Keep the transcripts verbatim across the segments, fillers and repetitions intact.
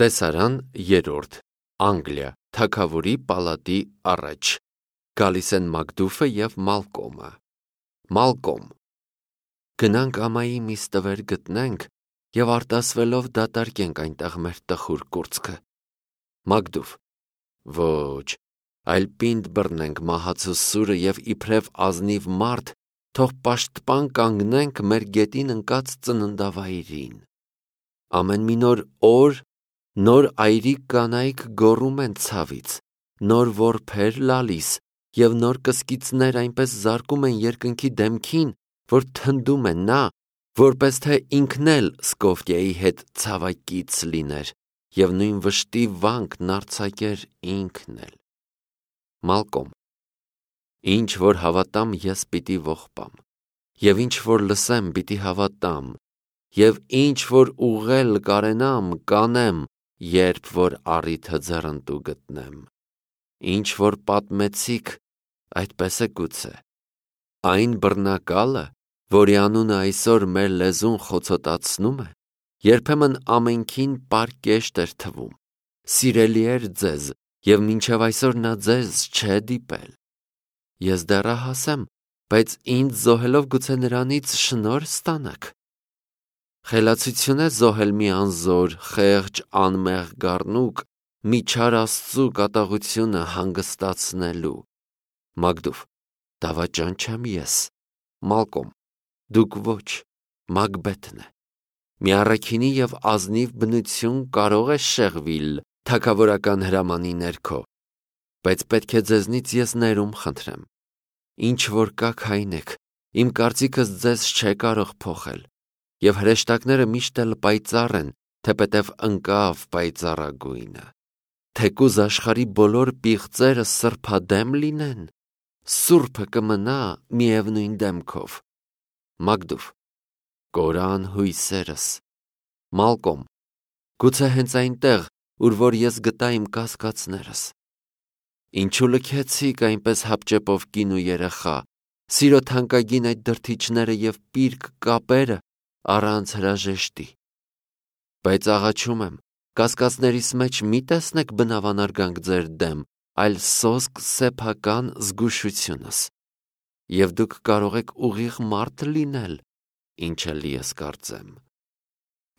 Տեսարան երրորդ, Անգլիա, թագավորի պալատի առաջ, գալիս են Մակդուֆը և Մալկոմը։ Մալկոմ. գնանք ամայի մի ստվեր գտնենք և արտասվելով դատարկենք այնտեղ մեր տխուր կուրծքը։ Մակդուֆ. ոչ, այլ պինդ բռնենք մահացու սուրը և իբրև ազնիվ մարդ, թող պաշտպան կանգնենք մեր գետին ընկած ծննդավայրին։ Ամեն մի նոր օր նոր այրիկ կանայք գոռում են ցավից, նոր որբեր լալիս և նոր կսկիծներ այնպես զարկում են երկնքի դեմքին, որ թնդում է նա, որպես թե ինքն էլ Սկոֆիայի հետ ցավակից լիներ և նույն վշտի վանքն արձակեր ինքն էլ։ Մալկոմ. ինչ որ հավատամ, ես պիտի ողբամ, և ինչ որ լսեմ, պիտի հավատամ, և ինչ որ ուղղել կարենամ, կանեմ, երբ որ առիթը ձեռնտու գտնեմ։ Ինչ որ պատմեցիք, այդպես է գուցե։ Այն բռնակալը, որի անունը այսօր մեր լեզուն խոցոտացնում է, երբեմն ամենքին պարկեշտ էր թվում, սիրելի էր ձեզ, և մինչև այսօր նա ձեզ չէ դիպել։ Ես դեռահաս եմ, բայց ինձ զոհելով գուցե նրանից շնորհ ստանաք։ Խելացություն է զոհել մի անզոր, խեղճ, անմեղ գառնուկ, մի չար Աստծու կատաղությունը հանգստացնելու։ Մակդուֆ. դավաճան չեմ ես։ Մալկոմ. դուք ոչ, Մակբեթն է։ Մի առաքինի և ազնիվ բնություն կարող է շեղվիլ թագավորական հրամանի ներքո, բայց պետք է ձեզնից ես ներում խնդրեմ։ Ինչ որ կաք այնեք, իմ կարծիքս ձեզ չէ կարող փոխել, և հրեշտակները միշտ էլ պայծառ են, թեպետև ընկավ պայծառագույնը։ Թեկուզ աշխարհի բոլոր պիղծերը սրբադեմ լինեն, սուրբը կմնա միևնույն դեմքով։ Մակդուֆ. կորան հույսերս։ Մալկոմ. գուցե հենց այնտեղ, ուր որ ես գտա իմ կասկածներս։ Ինչու լքեցիք այնպես հապճեպով կին ու երեխա, սիրո թանկագին այդ դրդիչները և պիրկ կապերը առանց հրաժեշտի։ Բայց աղաչում եմ, կասկածներիս մեջ մի տեսնեք բնավանար գանք ձեր դեմ, այլ սոսկ սեփական զգուշությունս։ Եվ դուք կարող եք ուղիղ մարդ լինել, ինչ էլ ես կարծեմ։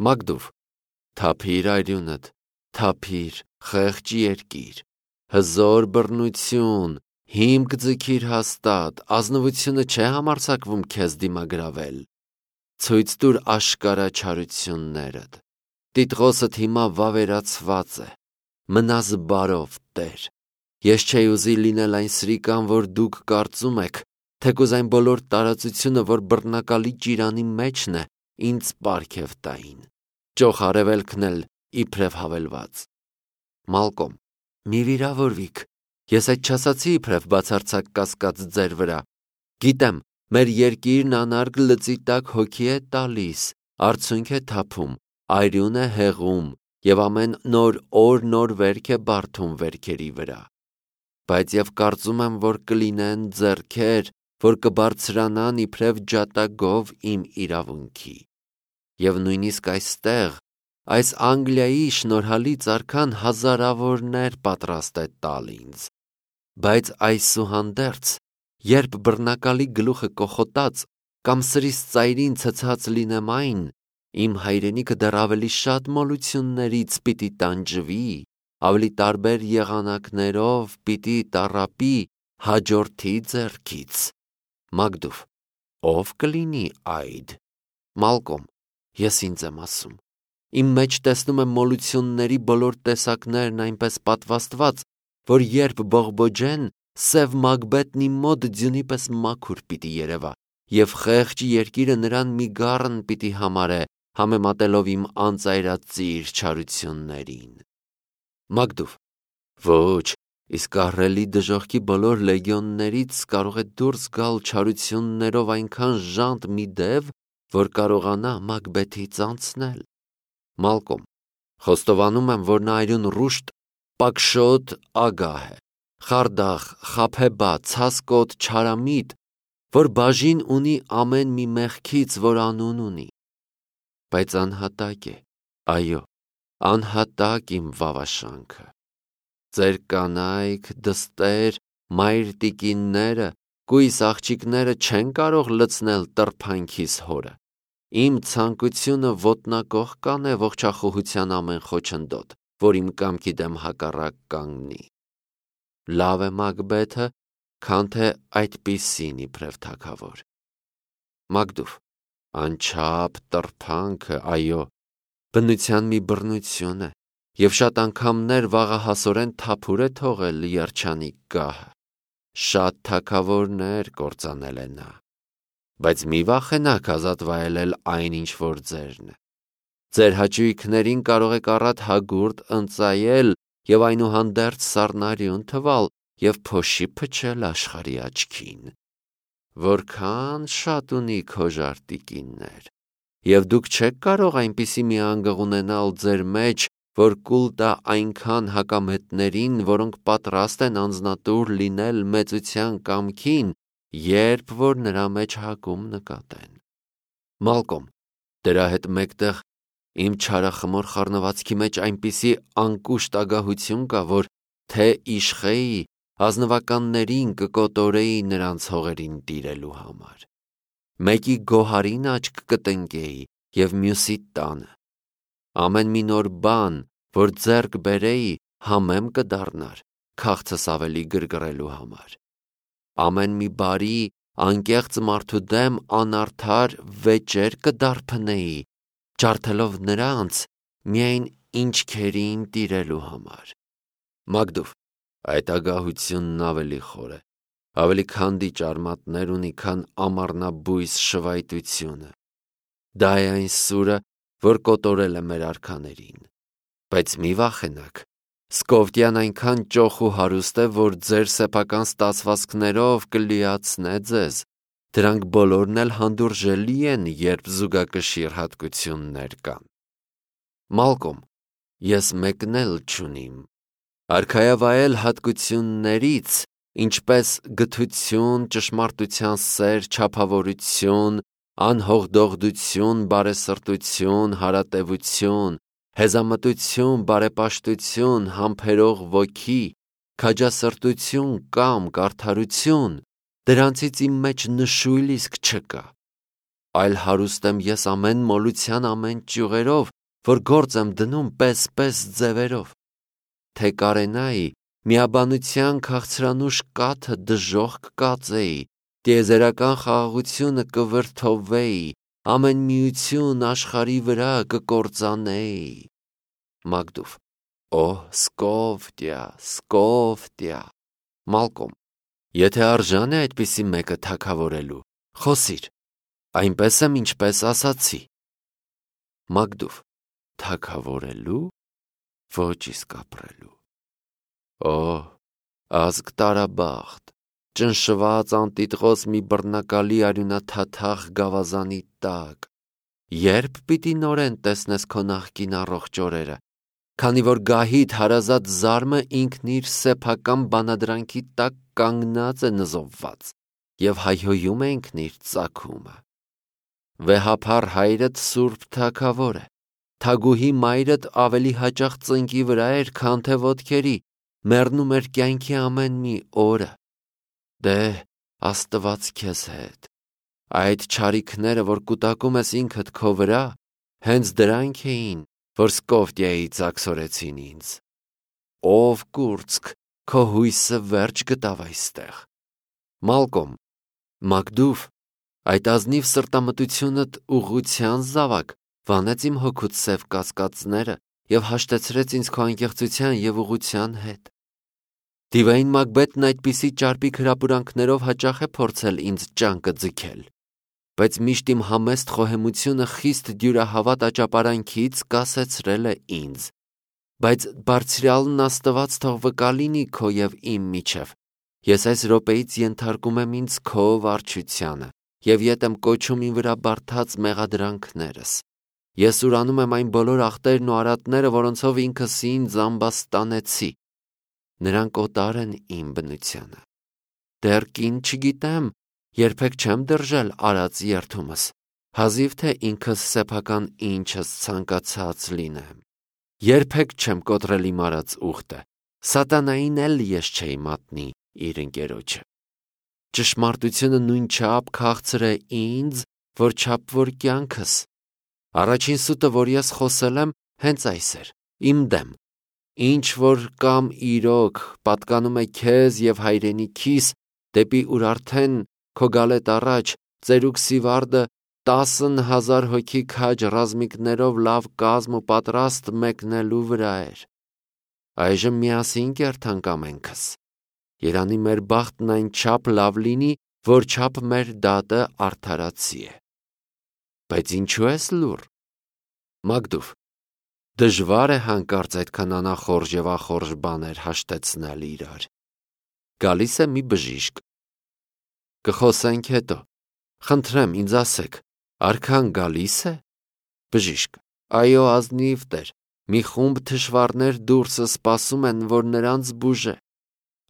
Մակդուֆ. թափիր արյունդ, թափիր, խեղճ երկիր, հզոր բռնություն, հիմք ձգիր հաստատ, ազնվությունը չէ համարձակվում քեզ դիմագրավել։ Ցույց տուր աշկարա չարություններդ։ Տիտղոսդ հիմա վավերացված է, մնաս բարով, Տեր։ Ես չէի ուզի լինել այն սրիկան, որ դուք կարծում եք, թեկուզ այն բոլոր տարածությունը, որ բռնակալի ճիրանի մեջն է, ինձ պարգև տային, ճոխ արևելքն էլ իբրև հավելված։ Մալկոմ. մի վիրավորվիք, ես այդ չասացի իբրև բացարձակ կասկած ձեր վրա։ Գիտեմ, մեր երկիրն անարգ լծի տակ հոգի է տալիս, արցունք է թափում, արյուն է հեղում և ամեն նոր օր նոր վերք է բարդում վերքերի վրա։ Բայց և կարծում եմ, որ կլինեն ձեռքեր, որ կբարձրանան իբրև ջատագով իմ իրավունքի։ Եվ նույնիսկ այստեղ, այս Անգլիայի շնորհալից արքան հազարավորներ պատրաստ է տալ ինձ։ Բայց այսուհանդերձ, երբ բռնակալի գլուխը կոխոտած կամ սրիս ծայրին ցցած լինեմ այն, իմ հայրենիքը դեռ ավելի շատ մոլություններից պիտի տանջվի, ավելի տարբեր եղանակներով պիտի տառապի հաջորդի ձեռքից։ Մակդուֆ. ով կլինի այդ։ Մալկոմ. ես ինձ եմ ասում։ Իմ մեջ տեսնում եմ մոլությունների բոլոր տեսակներն այնպես պատվաստված, որ երբ բողբոջեն, սև Մակբեթն իմ մոտ ձյունի պես մաքուր պիտի երևա, և խեղճ երկիրը նրան մի գառն պիտի համարե, համեմատելով իմ անծայրածիր չարություններին։ Մակդուֆ. ոչ, իսկ ահռելի դժոխքի բոլոր լեգիոններից կարող է դուրս գալ չարություններով այնքան ժանտ մի դև, որ կարողանա Մակբեթից անցնել։ Մալկոմ. խոստովանում եմ, որ նա այրուն ռուշտ, պակշոտ ագահ է, խարդախ, խաբեբա, ցասկոտ, չարամիտ, որ բաժին ունի ամեն մի մեղքից, որ անուն ունի։ Բայց անհատակ է, այո, անհատակ իմ վավաշանքը։ Ձեր կանայք, դստեր, մայր տիկինները, կույս աղջիկները չեն կարող լցնել տրփանքիս հորը։ Իմ ցանկությունը ոտնակոխ կանե ողջախոհության ամեն խոչընդոտ, որ իմ կամքի դեմ հակառակ կանգնի։ Լավ է Մակբեթը, քան թե այդպիսին իբրև թագավոր։ Մակդուվ, անչափ տրփանքը, այո, բնության մի բռնություն է, և շատ անգամներ վաղահասորեն թափուր է թողել երջանիկ գահը։ Շատ թագավորներ կործանել է նա, բայց մի վախենաք ազատ վայելել այն, ինչ որ ձերն է։ Ձեր հաճույքներին կարող եք առատ հագուրդ ընծայել և այնուհանդերձ սառնարյուն թվալ և փոշի փչել աշխարհի աչքին։ Որքան շատ ունի քո ժարտիկիններ, և դուք չեք կարող այնպիսի մի անգղ ունենալ ձեր մեջ, որ կուլ տա այնքան հակամետներին, որոնք պատրաստ են անձնատուր լինել մեծության կամքին, երբ որ նրա մեջ հակում նկատեն։ Մալկոմ, դրա հետ մեկտեղ իմ չարախմոր խառնվածքի մեջ այնպիսի անկուշտ ագահություն կա, որ թե իշխեի, ազնվականներին կկոտորեի նրանց հողերին տիրելու համար։ Մեկի գոհարին աչք կտնկեի և մյուսի տանը։ Ամեն մի նոր բան, որ ձեռք բերեի, համեմ կդառնար, քաղցս ավելի գրգռելու համար։ Ամեն մի բարի, անկեղծ մարդու դեմ անարդար վեճեր կդարբնեի, ջարդելով նրանց միայն ինչքերին տիրելու համար։ Մակդուվ, այդ ագահությունն ավելի խոր է, ավելի քանդիչ արմատներ ունի, քան ամառնաբույս շվայտությունը։ Դա է այն սուրը, որ կոտորել է մեր արքաներին։ Բայց մի վախենաք, Սկովտյան այնքան ճոխ ու հարուստ է, որ ձեր սեփական ստացվածքներով կլիացնե ձեզ։ Դրանք բոլորն էլ հանդուրժելի են, երբ զուգակշիռ հատկություններ կան։ Մալկոմ, ես մեկն էլ չունիմ։ Արքայավայել հատկություններից, ինչպես գթություն, ճշմարտության սեր, չափավորություն, անհողդողդություն, բարեսրտություն, հարատևություն, հեզամտություն, բարեպաշտություն, համբերող ոգի, քաջասրտություն կամ կարդարություն, դրանցից իմ մեջ նշույլ իսկ չկա։ Այլ հարուստ եմ ես ամեն մոլության ամեն ճյուղերով, որ գործ եմ դնում պես-պես ձևերով։ Թե կարենայի, միաբանության քաղցրանուշ կաթը դժոխք կկածեի, տիեզերական խաղաղությունը կվրդովվեի, ամեն միություն աշխարհի վրա կկործանեի։ Մակդուվ, օ, Սկովտիա, Սկովտիա։ Մալկոմ, եթե արժան է այդպիսի մեկը թագավորելու, խոսիր, այնպես եմ, ինչպես ասացի։ Մակդուվ, թագավորելու, ոչ իսկ ապրելու։ Օ, ազգ տարաբախտ, ճնշված անտիտղոս մի բռնակալի արյունաթաթախ գավազանի տակ, երբ պիտի նորեն տեսնես քո նախկին առողջ օրերը, քանի որ գահիդ հարազատ զարմը ինքն իր սեփական բանադրանքի տակ կանգնած է նզովված և հայհոյում է ինքն իր ծագումը։ Վեհափառ հայրդ սուրբ թագավոր է, թագուհի մայրդ ավելի հաճախ ծնկի վրա էր, քան թե ոտքերի, մեռնում էր կյանքի ամեն մի օրը։ Դե, Աստված քեզ հետ։ Այդ չարիքները, որ կուտակում ես ինքդ քո վրա, հենց դրանք էին, որ Սկովտիայի ծակսորեցին ինձ։ Ով կուրծք, քո հույսը վերջ գտավ այստեղ։ Մալկոմ, Մակդուվ, այդ ազնիվ սրտամտությունդ ուղղության զավակ վանեց իմ հոգուց սև կասկածները և հաշտեցրեց ինձ քո անկեղծության և ուղղության հետ։ Դիվային Մակբեթն այդպիսի ճարպիկ հրապուրանքներով հաճախ է փորձել ինձ ճանկը ձգել, բայց միշտ իմ համեստ խոհեմությունը խիստ դյուրահավատ աճապարանքից կասեցրել է ինձ։ Բայց բարձրյալն Աստված թող վկա լինի քո և իմ միջև, ես այս րոպեից ենթարկում եմ ինձ քո վարչությանը և ետ եմ կոչում իմ վրա բարդած մեղադրանքներս։ Ես ուրանում եմ այն բոլոր ախտերն ու արատները, որոնցով ինքս ինձ ամբաստանեցի։ Նրանք օտար են իմ բնությանը։ Դեռ կին չգիտեմ, երբեք չեմ դրժել արած երդումս, հազիվ թե ինքս սեփական ինչս ցանկացած լինեմ։ Երբեք չեմ կոտրել իմ արած ուխտը, սատանային էլ ես չէի մատնի իր ընկերոջը։ Ճշմարտությունը նույնչափ քաղցր է ինձ, որչափ որ կյանքս։ Առաջին սուտը, որ ես խոսել եմ, հենց այս էր, իմ դեմ։ Ինչ որ կամ իրոք պատկանում է քեզ եւ հայրենիքիս, դեպի ուր արդեն քո գալետ առաջ ծերուկ Սիվարդը տասն հազար հոգի քաջ ռազմիկներով լավ կազմ ու պատրաստ մեկնելու վրա էր։ Այժմ միասին կերթանք ամենքս։ Երանի մեր բախտն այնչափ լավ լինի, որչափ մեր դատը արդարացի է։ Բայց ինչու ես լուռ։ Մագդուվ, դժվար է հանկարծ այդքան անախորժ եւ ախորժ բաներ հաշտեցնել իրար։ Գալիս է մի բժիշկ։ Կխոսենք հետո։ Խնդրեմ, ինձ ասեք, արքան գալիս է։ Բժիշկ. Այո, ազնիվ Տեր, մի խումբ թշվառներ դուրսը սպասում են, որ նրանց բուժե։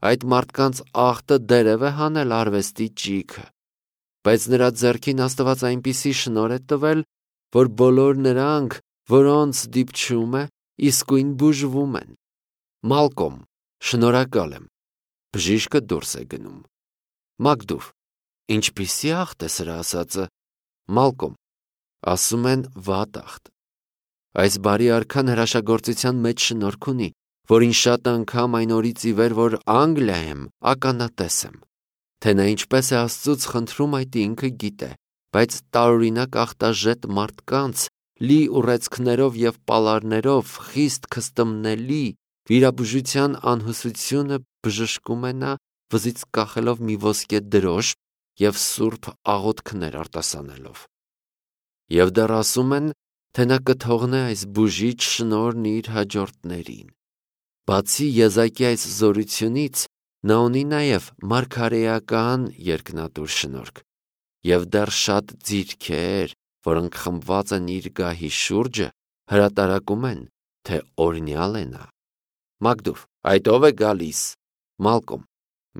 Այդ մարդկանց ախտը դերև է հանել արվեստի ճիգը, բայց նրա ձեռքին Աստված այնպիսի շնորհ է տվել, որ բոլոր նրանք, որոնց դիպչում է, իսկույն բուժվում են։ Մալկոմ, շնորհակալ եմ։ Բժիշկը դուրս է գնում։ Մագդուվ, ինչպիսի ախտ է սրա ասածը։ Մալկոմ, ասում են վատ ախտ։ Այս բարի արքան հրաշագործության մեջ շնորհք ունի, որին շատ անգամ այն օրից ի վեր, որ Անգլիա եմ, ականատես եմ։ Թե նա ինչպես է Աստծուց խնդրում, այդ ինքը գիտե, բայց տարօրինակ ախտաժետ մարդկանց, լի ուռեցքներով եւ պալարներով, խիստ քստմնելի վիրաբուժության անհուսությունը բժշկում է նա, վզից կախելով մի ոսկե դրոշ եւ սուրբ աղոթքներ արտասանելով։ Եվ դեռ ասում են, թե նա կթողնե այս բուժիչ շնորհն իր հաջորդներին։ Բացի եզակի այս զորությունից, նա ունի նաև մարգարեական երկնատուր շնորհք եւ դեռ շատ ձիրքեր, որոնք խմբված են իր գահի շուրջը, հրատարակում են, թե օրինյալ է նա։ Մագդուվ, այդ ով է գալիս։ Մալկոմ,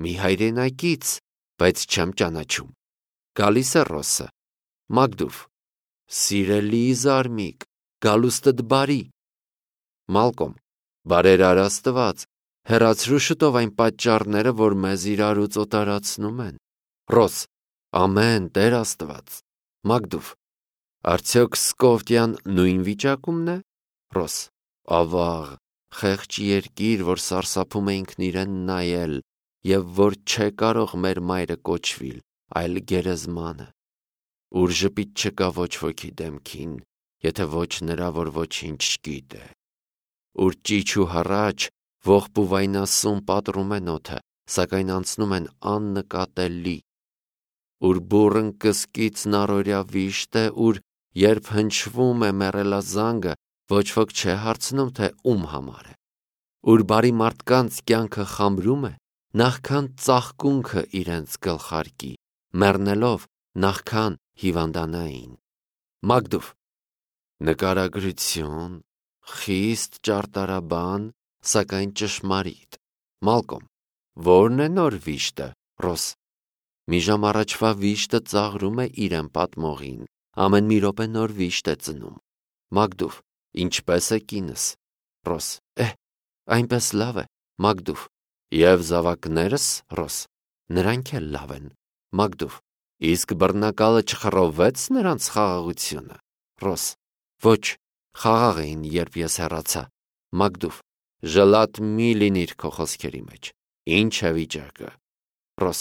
մի հայրենակից, բայց չեմ ճանաչում։ Գալիս է Ռոսը։ Մագդուվ, սիրելի զարմիկ, գալուստդ բարի։ Մալկոմ, բարերար Աստված, հեռացրու շուտով այն պատճառները, որ մեզ իրարուց օտարացնում են։ Ռոս, ամեն Տեր Աստված։ Մագդուվ, արդյոք Սկովտյան նույն վիճակումն է։ Ռոս, ավաղ, խեղճ երկիր, որ սարսափում է ինքն իրեն նայել, եւ որ չէ կարող մեր մայրը կոչվիլ, այլ գերեզմանը, ուր ժպիտ չկա ոչ ոքի դեմքին, եթե ոչ նրա, որ ոչինչ չգիտե, ուր ճիչ ու հառաչ, ողբ ու վայնասուն պատռում են օդը, սակայն անցնում են աննկատելի, ուր բուռն կսկիցն առօրյա վիշտ է, ուր երբ հնչվում է մեռելազանգը, ոչ ոք չէ հարցնում, թե ում համար է, ուր բարի մարդկանց կյանքը խամրում է, նախքան ծաղկունքը իրենց գլխարկի, մեռնելով նախքան հիվանդանային։ Մագդուվ, նկարագրություն, խիստ ճարտարաբան, սակայն ճշմարիտ։ Մալկոմ, ո՞րն է նոր վիշտը։ Ռոս, մի ժամ առաջվա վիշտը ծաղրում է իրեն պատմողին, ամեն մի րոպե նոր վիշտ է ծնում։ Մագդուվ, ինչպես է կինս։ Ռոս, էհ, այնպես լավ է։ Մագդուվ, եւ զավակներս։ Ռոս, նրանք էլ լավ են։ Մագդուվ, իսկ բռնակալը չխռովվեց նրանց խաղաղությունը։ Ռոս, ոչ, խաղաղ էին, երբ ես հեռացա։ Մագդուվ, ժլատ մի լինիր քո խոսքերի մեջ։ Ինչ է վիճակը։ Ռոս,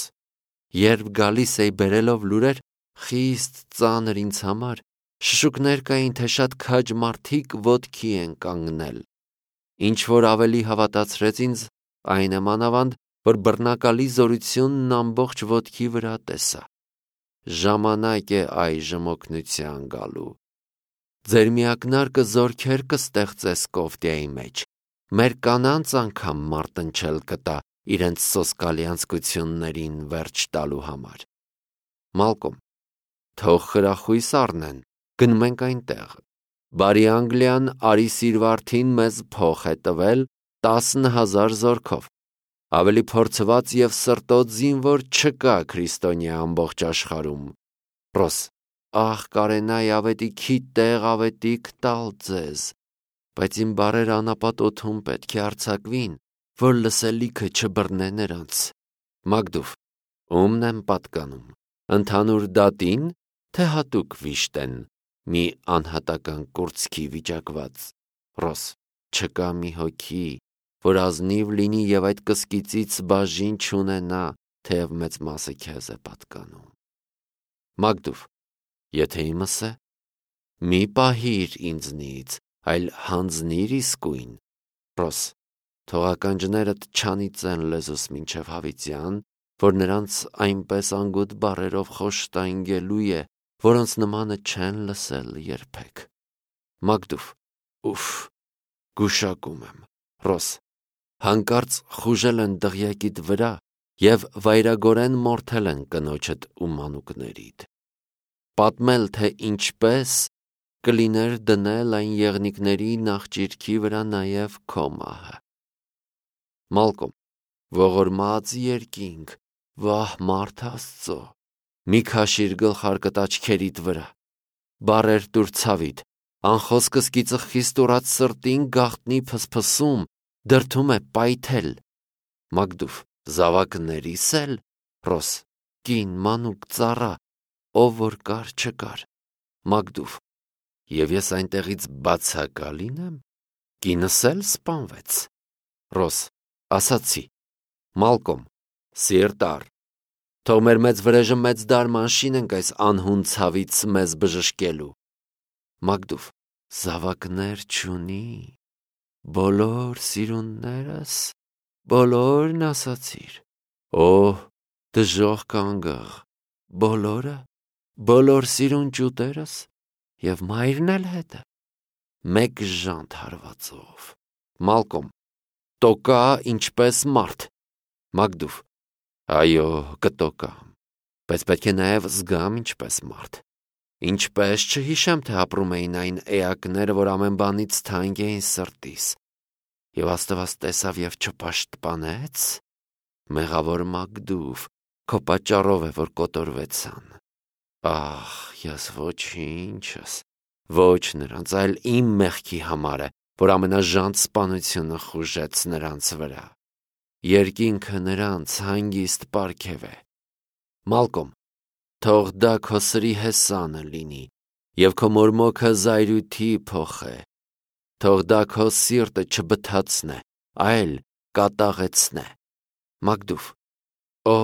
երբ գալիս էի բերելով լուրեր, խիստ ծանր ինձ համար, շշուկներ կային, թե շատ քաջ մարդիկ ոտքի են կանգնել։ Ինչ որ ավելի հավատացրեց ինձ, այն է մանավանդ, որ բռնակալի զորությունն ամբողջ ոտքի վրա տեսա։ Ժամանակ է այժմ օգնության գալու։ Ձեր միակնարկը զորքեր կստեղծե Սկովտիայի մեջ, մեր կանանց անգամ մարտնչել կտա իրենց սոսկալի անձկություններին վերջ տալու համար։ Մալկոմ, թող խրախույս առնեն, գնում ենք այնտեղ։ Բարի Անգլիան արի սիրվարդին մեզ փող է տվել տասն հազար զորքով, ավելի փորձված եւ սրտոտ զինվոր չկա քրիստոնյա ամբողջ աշխարհում։ Ռոս, ախ կարենայ ավետիքի տեղ ավետիք տալ ձեզ, բայց իմ բարերը անապատ օդում պետք է արձակվին, որ լսելիքը չբռնե նրանց։ Մագդուվ, ում եմ պատկանում, ընդհանուր դատին, թե հատուկ վիշտեն, մի անհատական կուրծքի վիճակված։ Ռոս, չկա մի հոգի, որ ազնիվ լինի և այդ կսկիծից բաժին չունենա, թեև մեծ մասը քեզ է պատկանում։ Մագդուվ, եթե իմս է, մի պահիր ինձնից, այլ հանձնիր իսկույն։ Ռոս, թող ականջներդ չանիծեն լեզուս մինչև հավիտյան, որ նրանց այնպես անգութ բառերով խոշտանգելու է, որոնց նմանը չեն լսել երբեք։ Մագդուվ, ուֆ, գուշակում եմ։ Ռոս, հանկարծ խուժել են դղյակիդ վրա և վայրագորեն մորթել են կնոջդ ու մանուկներիդ։ Պատմել, թե ինչպես կլիներ դնել այն եղնիկների նախճիրքի վրա նաև քո մահը։ Մալկոմ, ողորմած երկինք, վահ մարդ Աստծո, մի քաշիր գլխարկդ աչքերիդ վրա, բառեր տուր ցավիդ, անխոսքը սկիծը խիստ ուռած սրտին գաղտնի փսփսում, դրդում է պայթել։ Մագդուվ, զավակներիս էլ, Ռոս, կին, մանուկ, ծառա, ով որ կար չկար։ Մագդուվ, և ես այնտեղից բացակա լինեմ, կինս էլ սպանվեց։ Ռոս, ասացի։ Մալկոմ, սիրտ առ, թող մեր մեծ վրեժը մեծ դարման շինենք այս անհուն ցավից մեզ բժշկելու։ Մագդուվ, զավակներ չունի, բոլոր սիրուններս, բոլորն ասացիր։ Օհ, դժոխք անգղ, բոլորը, բոլոր սիրուն ճուտերս և մայրն էլ հետը, մեկ ժանտ հարվածով։ Մալկոմ, տոկա ինչպես մարդ։ Մագդուվ, այո, կտոկամ, բայց պետք է նաև զգամ ինչպես մարդ։ Ինչպես չհիշեմ, թե ապրում էին այն էակները, որ ամեն բանից թանկ էին սրտիս, և Աստված տեսավ և չպաշտպանեց։ Մեղավոր Մագդուվ, քո պատճառով է, որ կոտորվեցան։ Ահ, ես ոչինչս, ոչ նրանց, այլ իմ մեղքի համար է, որ ամենաժանտ սպանությունը խուժեց նրանց վրա։ Երկինքը նրանց հանգիստ պարգև է։ Մալկոմ, թող դա քո սրի հեսանը լինի, և քո մորմոքը զայրույթի փոխե, թող դա քո սիրտը չբթացնե, այլ կատաղեցնե։ Մագդուվ, օ,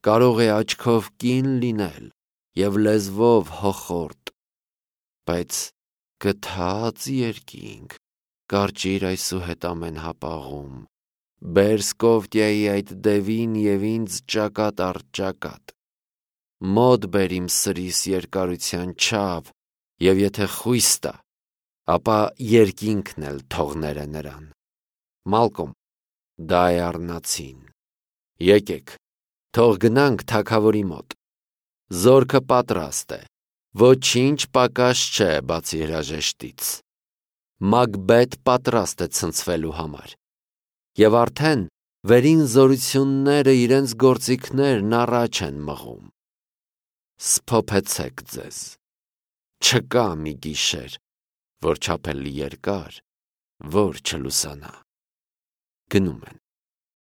կարող է աչքով կին լինել և լեզվով հոխորտ, բայց գթած երկինք, կարճիր այսուհետ ամեն հապաղում, բեր Սկովտիայի այդ դևին և ինձ ճակատ առ ճակատ, մոտ բեր իմ սրիս երկարության չափ, և եթե խույս տա, ապա երկինքն էլ թող ներե նրան։ Մալկոմ, դա է առնացին։ Եկեք, թող գնանք թագավորի մոտ։ Զորքը պատրաստ է, ոչինչ պակաս չէ բացի հրաժեշտից։ Մակբեթ պատրաստ է ցնցվելու համար։ Եվ արդեն վերին զորությունները իրենց գործիքներն առաջ են մղում։ Սփոփեցեք ձեզ, չկա մի գիշեր, որ չափելի երկար, որ չլուսանա։ Գնում են։